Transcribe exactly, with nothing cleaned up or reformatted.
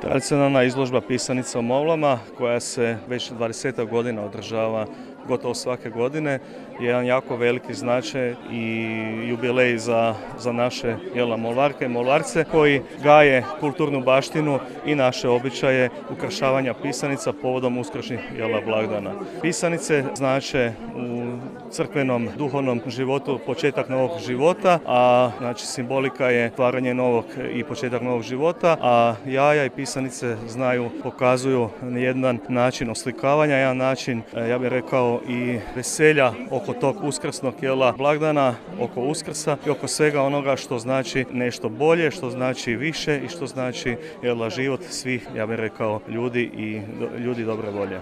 Tradicionalna izložba pisanica u Mavlama koja se već dvadesetak godina održava gotovo svake godine je jedan jako veliki značaj i jubilej za, za naše jela, Molvarke i Molvarce koji gaje kulturnu baštinu i naše običaje ukrašavanja pisanica povodom uskršnjih jela blagdana. Pisanice znače u crkvenom duhovnom životu početak novog života, a znači simbolika je stvaranje novog i početak novog života, a jaja i pisanice znaju, pokazuju jedan način oslikavanja, jedan način, ja bih rekao, i veselja oko tog uskrsnog jela blagdana, oko Uskrsa i oko svega onoga što znači nešto bolje, što znači više i što znači jela život svih, ja bih rekao, ljudi i ljudi dobre volje.